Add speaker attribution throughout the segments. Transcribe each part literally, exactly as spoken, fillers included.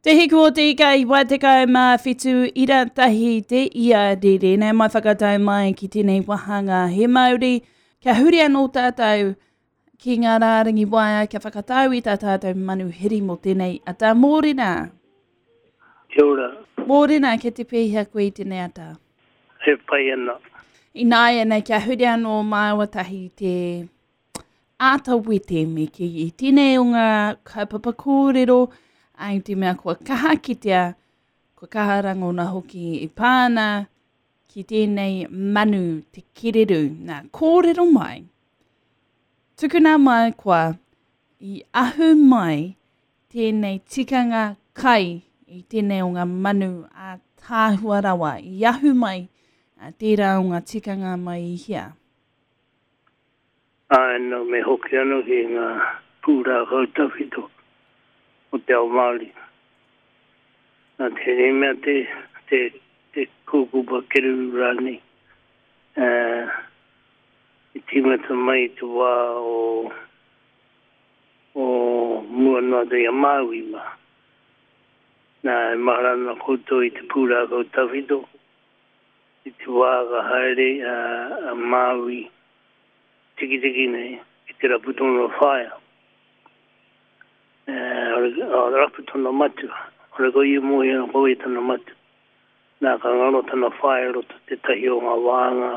Speaker 1: Te hiku o te ika i waitekau mā whitu ira tahi te ia rere. Nei mai whakatau mai ki tēnei wahanga he mauri. Kia huri anō tātou ki ngā rārangi waea kia whakatau i tā tātou manuhiri mō tēnei ata. Mōrena.
Speaker 2: Kia ora.
Speaker 1: Mōrena, ke te pēhea koe i tēnei ata?
Speaker 2: He pai ana.
Speaker 1: Ināianei, kia huri anō māua tahi te āta wete me ki i tēnei o ngā kaupapa kōrero ai te mea kua kaha kitea, kua kaha rangona hoki i pāna ki tēnei manu te kereru. Nā, kōrero mai. Tukuna mai kua i ahu mai tēnei tikanga kai i tēnei o ngā manu a tāhua rawa. I ahu mai a tērā o ngā tikanga mai i hea.
Speaker 2: Ai, no, me hoki anō ki ngā pūrākau tawhito o te ao Māori. Nā tēnei mea te, te, te kūkupa kereru rānei. Uh, i tīmata mai te wā o, o mua noa te i a Māui mā. Nā, e mahara ana koutou i te pūrākau tawhito. I te wā ka haere a, a Māui tikitiki nei i te rapu tōna whaea. Uh, rapu tōna matua. Ore ko ia mohi ana ko i tana matua. Nā ka ngaro tana whaea roto te tahi o ngā wānga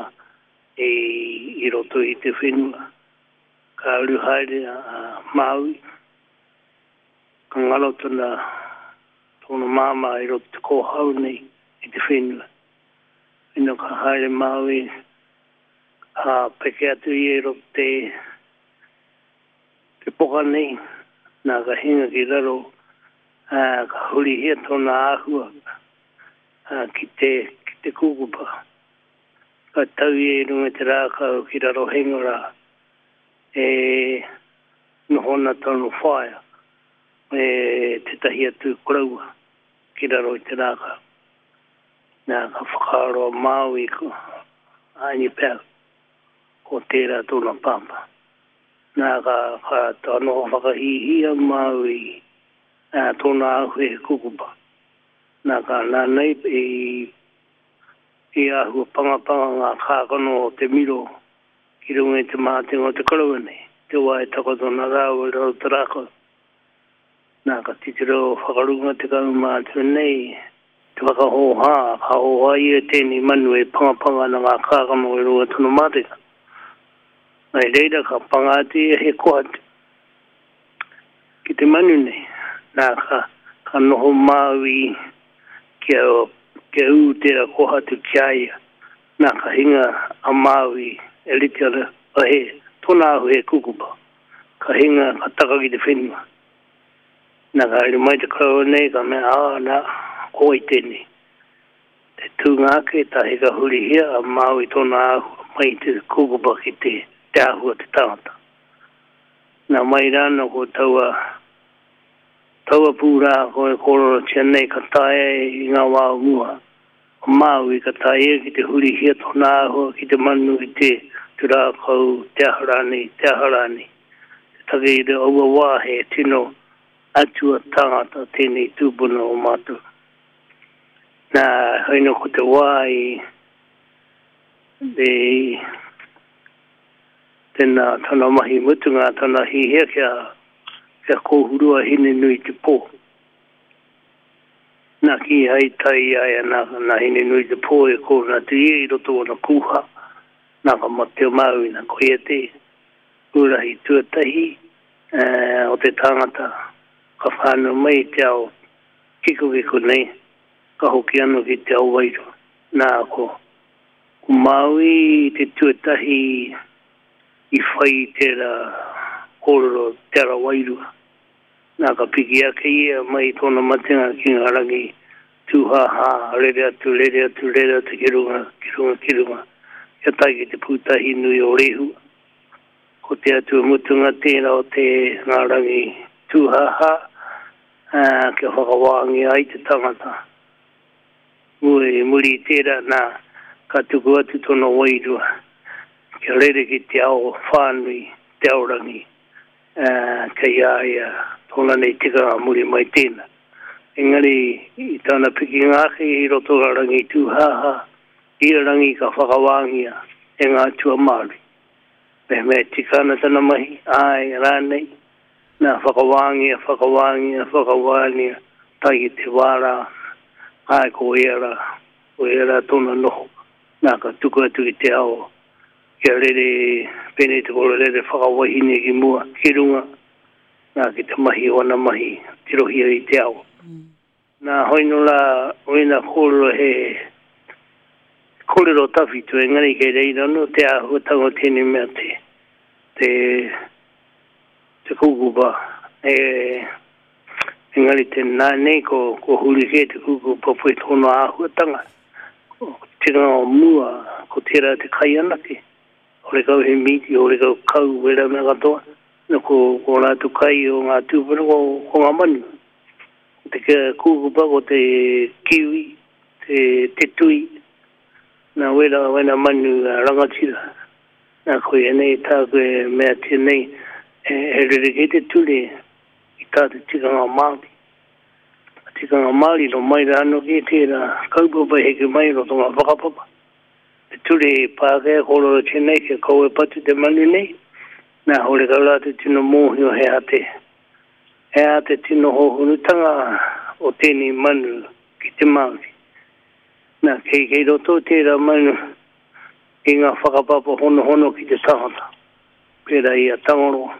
Speaker 2: i, i roto i te whenua. Ka uru haere a, a Māui. Ka ngaro tana tōna māmā i roto te kōhau nei i te whenua. Ina ka haere Māui, ka peke atu ia i roto te, te poka nei. Nā ka hinga ki raro, ā, ka hurihia tōna āhua ā, ki te, ki te kūkupa. Ka tau ia i runga i te rākau ki raro henga rā, e noho ana tōna whaea, e tētahi atu koroua ki raro i te rākau. Nā ka whakaaro a Māui ko Aini pea, ko tērā tōna pāpā. Nā ka, ka tā noho whakahīhī a Māui ā, tōna āhua he kukupa. Nā ka nā nei i, i āhua pangapanga ngā kākano o te miro ki runga i te mātenga o te koroua nei. Te wā e takoto ana rāua i raro te rākau. Nā ka titiro whakarunga te kaumātua nei, te whakahōhā, ka hōhā ia tēnei manu e pangapanga ana ngā kākano i runga tōna mātenga. Nā i reira ka panga atu ia he kohatu ki te manu nei. Nā ka, ka noho Māui kia, kia ū tērā kohatu ki a ia. Nā ka hinga a Māui e rite ana, a he, tōna ahu he kukupa. Ka hinga, ka taka ki te whenua. Nā ka haere mai te koroua nei, ka mea, ā, nā, ko wai tēnei. Te tūnga ake, tahi ka hurihia a Māui tōna āhua mai te kukupa ki te, te āhua te tangata. Nā mai rānō ko taua, taua pūrākau e kōrorotia nei ka taea i ngā wā o mua. O Māui ka taea ki te hurihia tōna āhua ki te manu i te, te rākau, te aha rānei, te aha rānei. Te take i te aua wā he tino atua tangata tēnei tūpuna o mātou. Nā, haina ko te wā i, i tēnā tana mahi mutunga, tana hihia kia, kia kōhurua Hinenui te pō. Nā ki hai tai ai nā, nā Hinenui te pō e kōna atu ia i roto ona kūha, nā ka mate o Māui, nā ko ia te urahi tuatahi eh, o te tangata ka whānau mai i te ao kikokiko nei, ka hoki anō ki te ao wairua. Nā ko, ko Māui te tuatahi i whai tērā kōrero te ara wairua. Nā ka piki ake ia mai tōna matenga ki ngā rangi tūhāhā, rere atu, rere atu, rere atu ki runga, ki runga, ki runga. Kia tae ki te pūtahi nui o Rehua. Ko te atua mutunga tērā o te ngā rangi tūhāhā, ā, kia whakawāngia ai te tangata. Muri, muri i tērā, nā, ka tuku atu tōna wairua. Kia rere ki te ao whānui, te ao rangi, uh, kei a ia tōna nei tikanga muri mai tēnā. Engari i tana pikinga ake i roto a Rangi Tūhaha, ia rangi ka whakawāngia e ngā atua Māori. Mehemea tika ana tana mahi, āe rānei, nā whakawāngia, whakawāngia, whakawāngia, tae ki te wā rā, āe ko ia rā, ko ia rā tōna noho, nā ka tuku atu ki te ao, kia rere, pēnei te koro rere whakawahine ki mua, ki runga, nā ki te mahi o ana mahi, tirohia i te ao.
Speaker 1: Mm.
Speaker 2: Nā hoino rā, o ēnā kōrero he kōrero tawhito, engari kei reira anō te āhuatanga o tēnei mea te, te, te kūkupa. E, engari te nā nei ko, ko huri kē te kūkupa poi tōna āhuatanga. Ko tikanga o mua, ko tērā te kai anake. Horekau he mīti, horekau kau, wera mea katoa. Na ko, ko rātou kai o ngā tūpuna, ko, ko ngā manu. Ko te kūkupa, ko te kiwi, te, te tui, nā wera, wena manu rangatira. Nā koia nei tāku e meatia nei, e, e rerekē te ture i tā te tikanga Māori. Tikanga Māori no mai rā anō ki tērā kaupapa heke mai roto ngā whakapapa. Te ture i Pākehā kōrerotia nei kia kaua e patu te manu nei, nā horekau rātou tino mōhio he aha te, he aha te tino hōhonutanga o tēnei manu ki te Māori. Nā, kei, kei roto tērā manu i ngā whakapapa honohono ki te tangata. Pērā i a Tangaroa,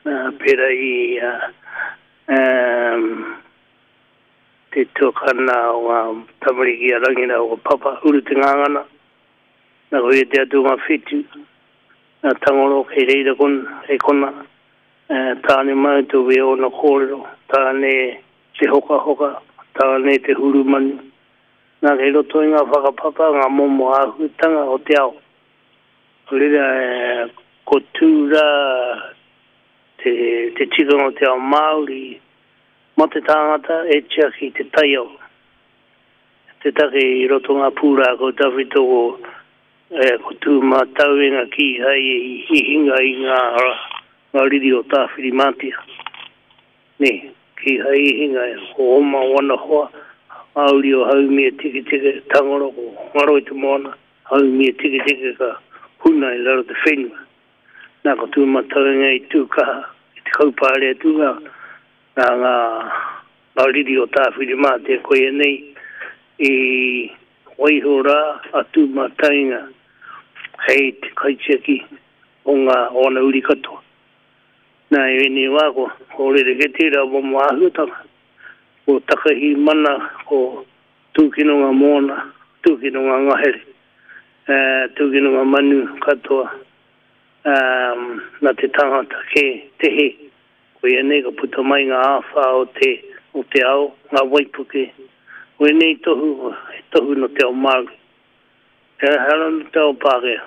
Speaker 2: pērā i a, um, te tuakana o ngā tamariki a Rangira o Papa, Uru Te Ngāngana, nā ko ia te atu ngā whetū, nā Tangaroa kei reira kon, kei kona, tāne mau tō we ōna kōrero, tāne te hokahoka, tāne te hurumanu. Nā kei roto i ngā whakapapa, ngā momo āhuatanga o te ao. Reira, ko tū rā te, te tikanga o te ao Māori, mā te tāngata e tiaki te taiao. Te take i roto ngā pūrākau tawhito ko, e, ko tū mātauenga kīhai i hinga i ngā, ngā riri o Tāwhirimātea. Nē, kīhai i hinga, ko oma o ana hoa, Āuri o Haumia Tiketike, Tangaro, ko Ngaro i te moana, Haumia Tiketike ka huna i raro te whenua. Nā ko tū mātauenga i tū kaha, i te kaupare atu ngā, ngā, ngā, ngā riri o Tāwhirimātea koia nei i waiho rā a tū mātauenga hei te kaitiaki o ngā o ana uri katoa. Nā i ēnei wā ko, ko rerekē tērā momo āhuatanga. Ko takahi mana, ko tūkino ngā moana, tūkino ngā ngahere, uh, tūkino ngā manu katoa, um, nā te tangata ke te he. Ko ia nei ka puta mai ngā āwhā o te, o te ao, ngā waipuke. Ko ia nei tohu, he tohu no te ao Māori. He hara no te ao Pākehā.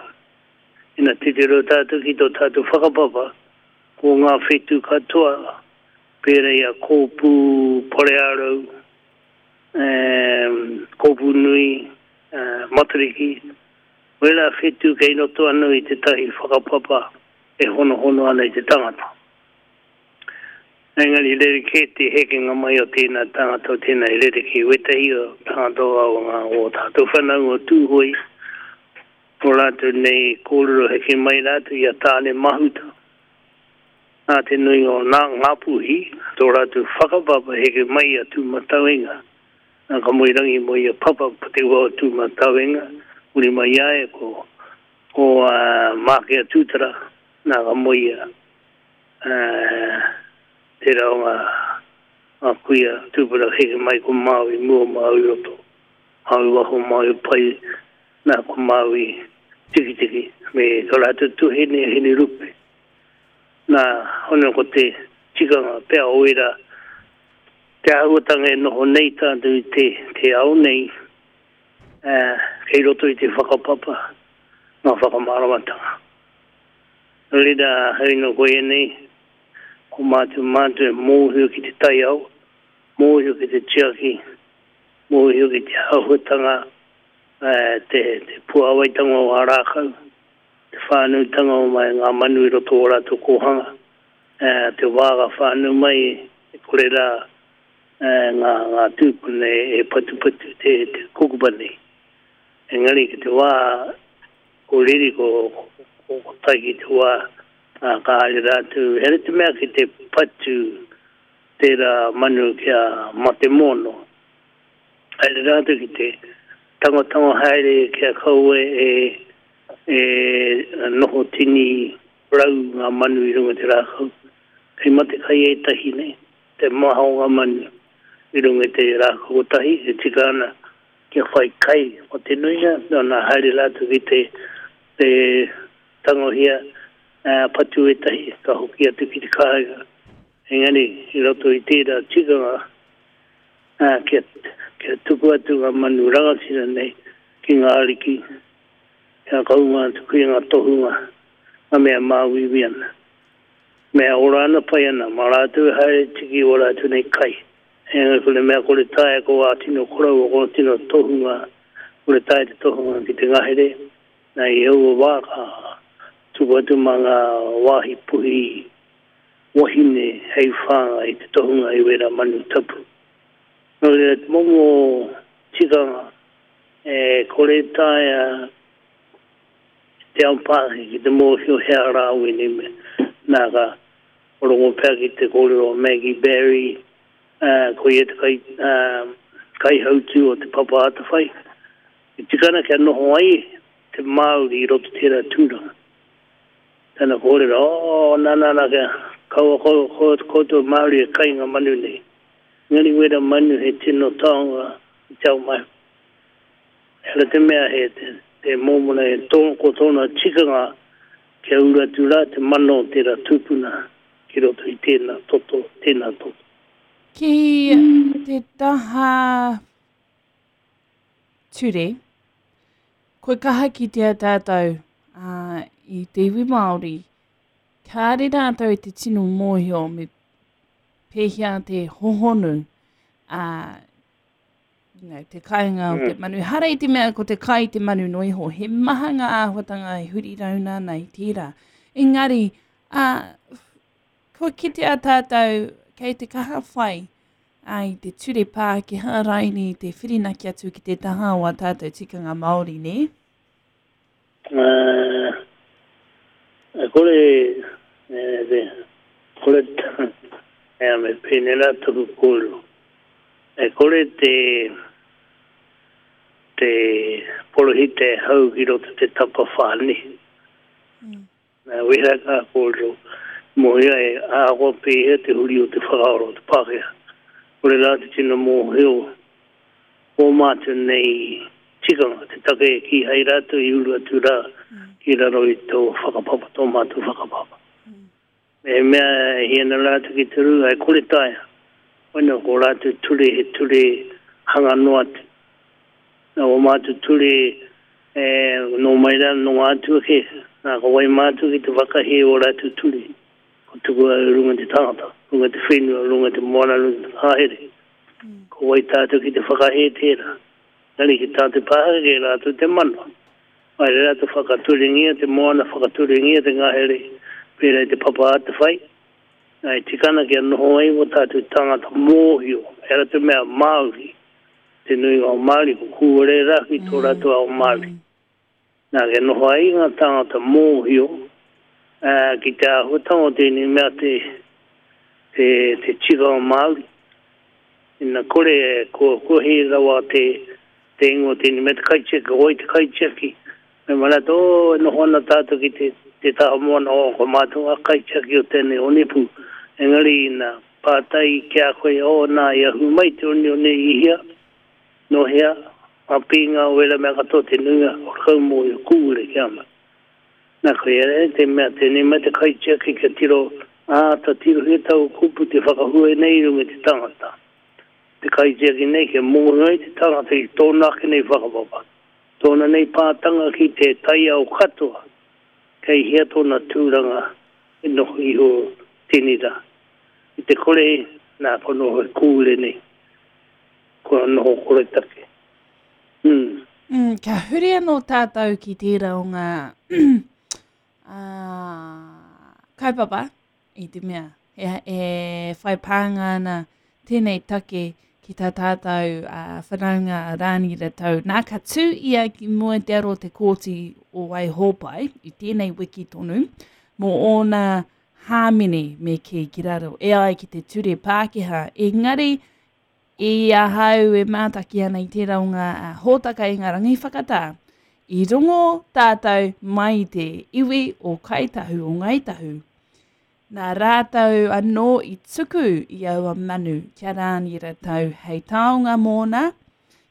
Speaker 2: Ina titiro tātou ki tō tātou whakapapa, ko ngā whetū katoa, pērā i a Kōpū, Pareārau, um, Kōpū Nui, uh, Matariki. Wera whetū kei roto anō i tētahi whakapapa e honohono ana i te tangata. Engari rerekē te hekenga mai o tēnā tangata o tēnā i rerekē wētahi o tangata o ngā o tātou whanaunga o Tūhoe. Ko rātou nei kōrero heke mai rātou i a Tāne Mahuta. Nā te nuinga o nā Ngāpuhi, tō rātou whakapapa heke mai a Tūmatauenga. Nā ka moe rangi mo ia papa po te ua o Tūmatauenga, uri mai ia e ko, ko uh, Mākea Tūtara, nā ka moe ia uh, tērā o ngā, ngā kuia tūpuna heke mai ko Māui, mua Māui roto, Māui waho, Māui pai, nā ko Māui tikitiki, me tō rātou tuhene, hene rupe. Nā, hono ko te tikanga pea o era, te āhuatanga e noho nei tātou i te, te ao nei, uh, kei roto i te whakapapa, ngā whakamāramatanga. Nō reira, hei no koe nei, ko mātou mātou e mōhio ki te taiao, mōhio ki te tiaki, mōhio ki te āhuatanga, uh, te, te puawaitanga o ngā rākau, te whānautanga o mai ngā manu i roto o rātou kōhanga, uh, te wā ka whānau mai, e kore rā, ngā, ngā tūpuna e patupatu te, te kukupa nei. Engari ki te wā, ko riri ko, ko, ko tai ki te wā, ā, ka haere rātou. Here te mea ki te patu tērā manu kia mate mono. Haere rātou ki te tangotango haere kia kaua e, e noho tini rau ngā manu i runga te rākau. Kei mate kai ētahi nei, te maha o ngā manu i runga te rākau kotahi, e tika ana kia whai kai o te nuinga, nā haere rātou ki te, te tangohia uh, patu ētahi, ka hoki atu ki te kāinga. Engari, i roto i tērā tikanga, uh, kia, kia tuku atu ngā manu rangatira nei ki ngā ariki, kia kaunga atu ki ngā tohunga, ngā mea māuiui ana. Mea ora ana pai ana, mā rātou haere tiki o rātou nei kai. Engari ko le mea kore taea ko ā tino korau, ko tino tohunga, kore taea te tohunga ki te ngahere, nā i aua wā ka tuku atu mā ngā wāhi puhi wahine hei whāngai i te tohunga i wera manu tapu. Nō reira te momo tikanga e kore taea te ao Pākehā ki te mōhio hea rā wēnei mea. Nā ka rongo pea ki te kōrero Maggie Barry, uh, ko ia te kai, uh, kaihautū o te Papa Atawhai. E tika ana kia noho ai te Māori i roto tērā tūranga. Tana kōrero, oh, nā, nā, nā, kia kaua koutou Māori e kai ngā manu nei. Engari wera manu he tino taonga i te ao mai. Ehara te mea he te, te mōmona e tō, ko tōna tikanga kia uru atu rā te mana o tērā tūpuna ki roto i tēnā toto, tēnā toto.
Speaker 1: Ki te taha ture, kua kaha kitea tātou uh, i te iwi Māori, kāre rātou i te tino mōhio me pēhea te hohonu uh, you know, te kainga o te manu. Hara i te mea ko te kai te manu no iho, he maha ngā āhuatanga e huri rauna ana i tērā. Engari, uh, kua kitea tātou kei te kaha whai uh, i te ture Pākehā raini te whirinaki atu ki te taha o a tātou tikanga Māori, ne?
Speaker 2: Uh, e kore, e, te, kore, e, me pēnei rā taku kōrero. E kore te, te porohita e hau ki roto te tapa whāni. Mm. Nā wera kā kōrero, mōhia e ahakoa pēhea te huri o te whakaaro o te Pākehā. Kore rā te tino mōhio o mātou nei tikanga, te take e kīhai rātou i uru atu rā ki raro i tō whakapapa, tō mātou whakapapa. Mm. Me mea e hiana rātou ki te rū, ai kore taea. Koina ko rātou ture he ture hanga noa atu. Nā o mātou ture e, nō mai rā nō ngā atua ke, nā ka wai mātou ki te whakahe o rātou ture. Ko tuku au runga te tangata, runga te whenua, runga te moana, runga te ngahere. Mm. Ko wai tātou ki te whakahe tērā. Nari ki tā te Pākehā ke rātou te mana. Mai re rātou whakaturengia te moana, whakaturengia te ngahere, pērā i te Papa Atawhai. Nā e tikana kia noho ai o tātou tangata mōhio, ehara te mea Māori, te nuinga o Māori, ko kūare rā ki tō rātou ao Māori. Nā kia noho ai ngā tangata mōhio, uh, ki te āhuatanga o tēnei mea te, te, te tikanga Māori. Ina kore, ko, ko he rawa te, te ingoa tēnei mea te kaitiaki, ko wai te kaitiaki. Me mana tō, e noho ana tātou ki te, te taha moana o ko mātou ngā kaitiaki o tēnei onepū. Engari ina pātai ki a koe, o nā i ahu mai te one one i hea, no hea, ngā pīnga o wera mea katoa te nuinga o kau mōhio kūre ki a mai. Nā koe ere, te mea tēnei mea te kaitiaki kia tiro, āta tirohia tau kupu te whakahua nei i runga i te tangata. Te kaitiaki nei kia mōhio ai te tangata i tōna ake nei whakapapa. Tōna nei pātanga ki te taiao katoa, kei hea tōna tūranga e noho iho tēnei rā. I te kore, nā ko noho e kūre nei, ko noho kore take. Mm.
Speaker 1: Mm, ka huri anō tātou ki tērā o ngā uh, kaupapa i te mea. E, e whai pānga ana tēnei take ki tā tātou uh, whanaunga a Rānira Tau. Nā, ka tū ia ki mua te aro te kōti o Waihōpai i tēnei wiki tonu mō ōna hāmene me kī ki raro e ai ki te ture Pākehā. Engari, i ahau e mātaki ana i tērā o ngā hōtaka i ngā rangi whakatā, i rongo tātou mai te iwi o Kāi Tahu, o Ngāi Tahu. Nā rātou anō i tuku i aua manu kia Rānira Tau hei taonga mōna,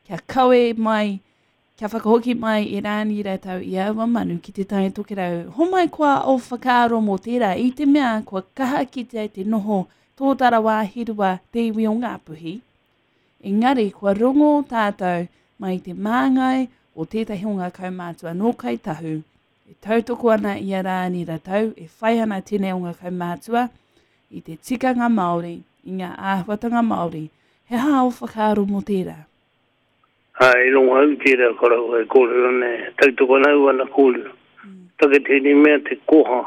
Speaker 1: kia kawe mai, kia whakahoki mai i Rānira Tau i aua manu ki te Tai Tokerau. Homai koa o whakaaro mō tērā i te mea kua kaha kitea te noho tōtara wāhirua te iwi o Ngāpuhi. Engari kua rongo tātou mai te māngai o tētahi o ngā kaumātua nō Kāi Tahu, e tautoko ana i a Rānira Tau, e whai ana tēnei o ngā kaumātua i te tikanga Māori, i ngā āhuatanga Māori. He aha o whakaaro mō tērā?
Speaker 2: Ai, rongo au tērā korau e kōrero nei, tautoko ana au ana kōrero. Mm. Take tēnei mea te koha,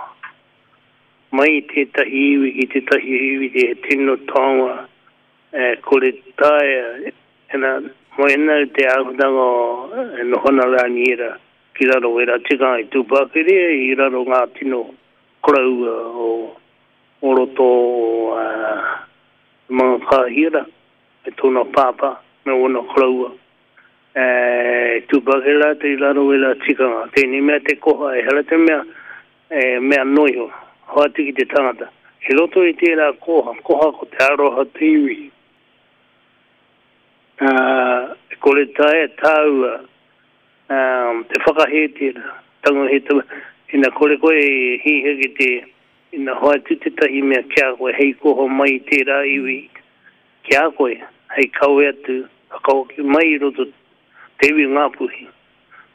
Speaker 2: mai tētahi iwi ki tētahi iwi te tino taonga, e kore taea, ena, mo ena te āhuatanga e nohona Rānira ki raro e rā tikanga i tūpākere i raro ngā tino koroua o, o roto o uh, Mangakāhia me tōna pāpā me ōna koroua. E, tūpākere rātou i raro e rā tikanga. Tēnei mea te koha, e hara te mea, e, mea noiho, hoatu ki te tangata. Ki roto i tērā koha, koha ko te aroha te iwi. Uh, e kore taea tāua um, te whakahē tērā, tango he tama, ina kore koe e hiha ki te, ina hoatu tētahi mea kia koe, hei koha mai tērā iwi kia koe, hei kawe atu, whakahoki mai i roto te iwi Ngāpuhi.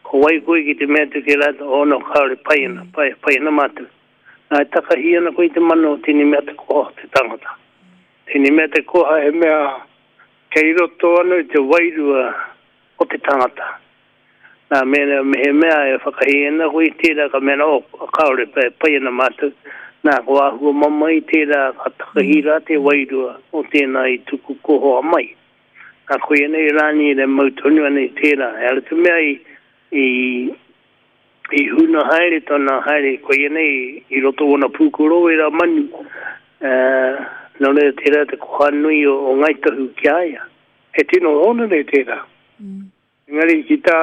Speaker 2: Ko wai koe ki te mea tu ki rātou, oh no, kāore, pai ana, pai, pai ana mātou. Nā, e takahi ana koe i te mana o tēnei mea te koha te tangata. Tēnei mea te koha he mea kei roto anō i te wairua o te tangata. Nā, mena, me he mea e whakahi ana koe i tērā, ka mena, oh, kāore, pai, pai ana mātou. Nā, ko āhua mama i tērā, ka takahi rā te wairua o tēnā i tuku kohoa mai. Nā, koe nei rāni e mau tonu ana i tērā. E ara te mea i, i, i huna haere tōna haere, koe nei i roto ona pūkoro e rā manu. Uh, nō reira tērā te koha nui o, o Ngāi Tahu ki a ia. He tino hōnore tērā.
Speaker 1: Mm.
Speaker 2: Engari ki tā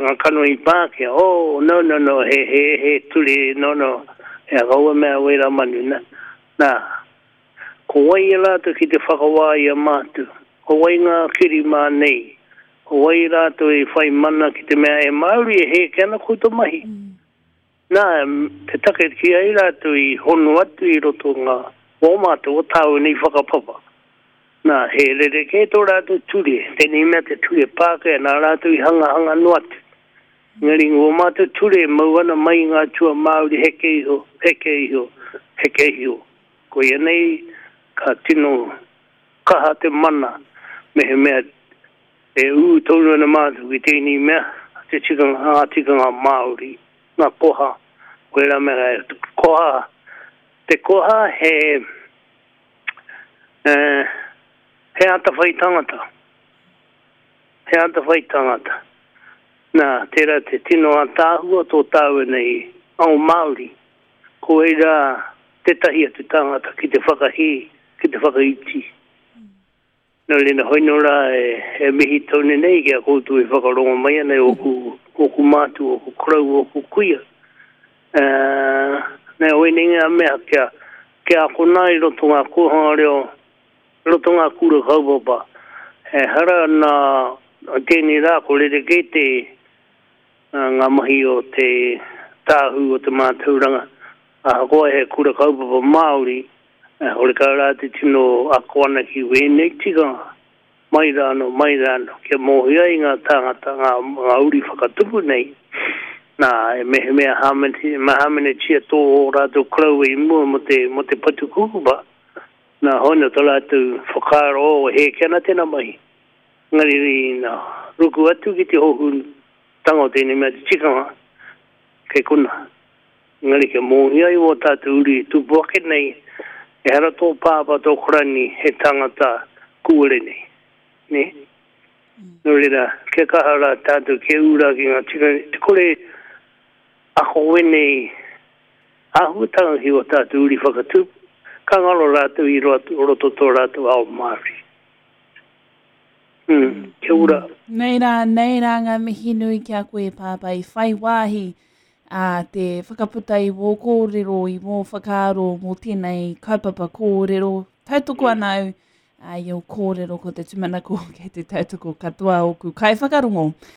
Speaker 2: ngā kanohi Pākehā, oh, no, no, no, he, he, he ture, no, no, he akaua mea wera manu, nā. Nā, ko wai e rātou ki te whakawā i a mātou, ko wai ngā kiri mā nei, ko wai rātou i whai mana ki te mea e Māori e hēke ana koutou mahi.
Speaker 1: Mm.
Speaker 2: Nā, te take ki ai rātou i hono atu i roto ngā o mātou o tāu nei whakapapa. Nā, he rerekē tō rātou ture, tēnei mea te ture Pākehā, nā rātou i hangahanga noa atu. Engari ngō mātou ture mau ana mai ngā tua Māori heke iho, heke iho, heke iho. Koia nei ka tino kaha te mana, me he mea e ū tonu ana mātou ki tēnei mea, te tikanga, ngā tikanga Māori, ngā koha, koe rā mea, koha, te koha he, eh, he atawhai tangata. He atawhai tangata. Nā, tērā te tino ātaahua tō tāua nei ao Māori. Ko eira tētahi atu tangata ki te whakahī, ki te whakaiti. Nō reira hoino rā e, e mihi tonu nei ki a koutou e whakarongo mai ana e oku, oku mātua, oku korau, oku kuia. Uh, nā, oinei ngā mea kia, kia akona i roto ngā kōhanga reo, roto ngā kura kaupapa. E hara nā tēnei rā ko rerekē te ngā mahi o te tāhu o te mātauranga. Ahakoa he kura kaupapa Māori, horekau rā te tino ako ana ki wēnei tikanga. Mai rāno, mai rāno, kia mōhio ai ngā tāngata, ngā, ngā uri whakatupu nei. Nā, e mehemea hāmenetia tō o rātou koroua i mua mo te, mo te patu kukupa. Nā, hono tō rātou whakaaro o hēke ana tēnā mahi. Engari, nā, ruku atu ki te hohunutanga o tēnei mea te tikanga, kei kona. Engari kia mōhio ai wō tātou uri tupu ake nei, e hara tō pāpā tō korani he tangata kūare nei. Nē? Nō reira, kia kaha rā tātou, kia ū rā ki ngā tikanga, te kore ako wēnei āhuatanga ki ō tātou uri whakatupu, ka ngaro rātou i roto tō rātou ao Māori. Mm, kia ora.
Speaker 1: Nei rā, nei rā ngā mihi nui ki a koe Pāpā i whai wāhi a te whakaputa i wō kōrero, i wō whakaaro mō tēnei kaupapa kōrero. Tautoko ana au a, i ō kōrero ko te tūmanako kei te tautoko katoa ōku kaiwhakarongo.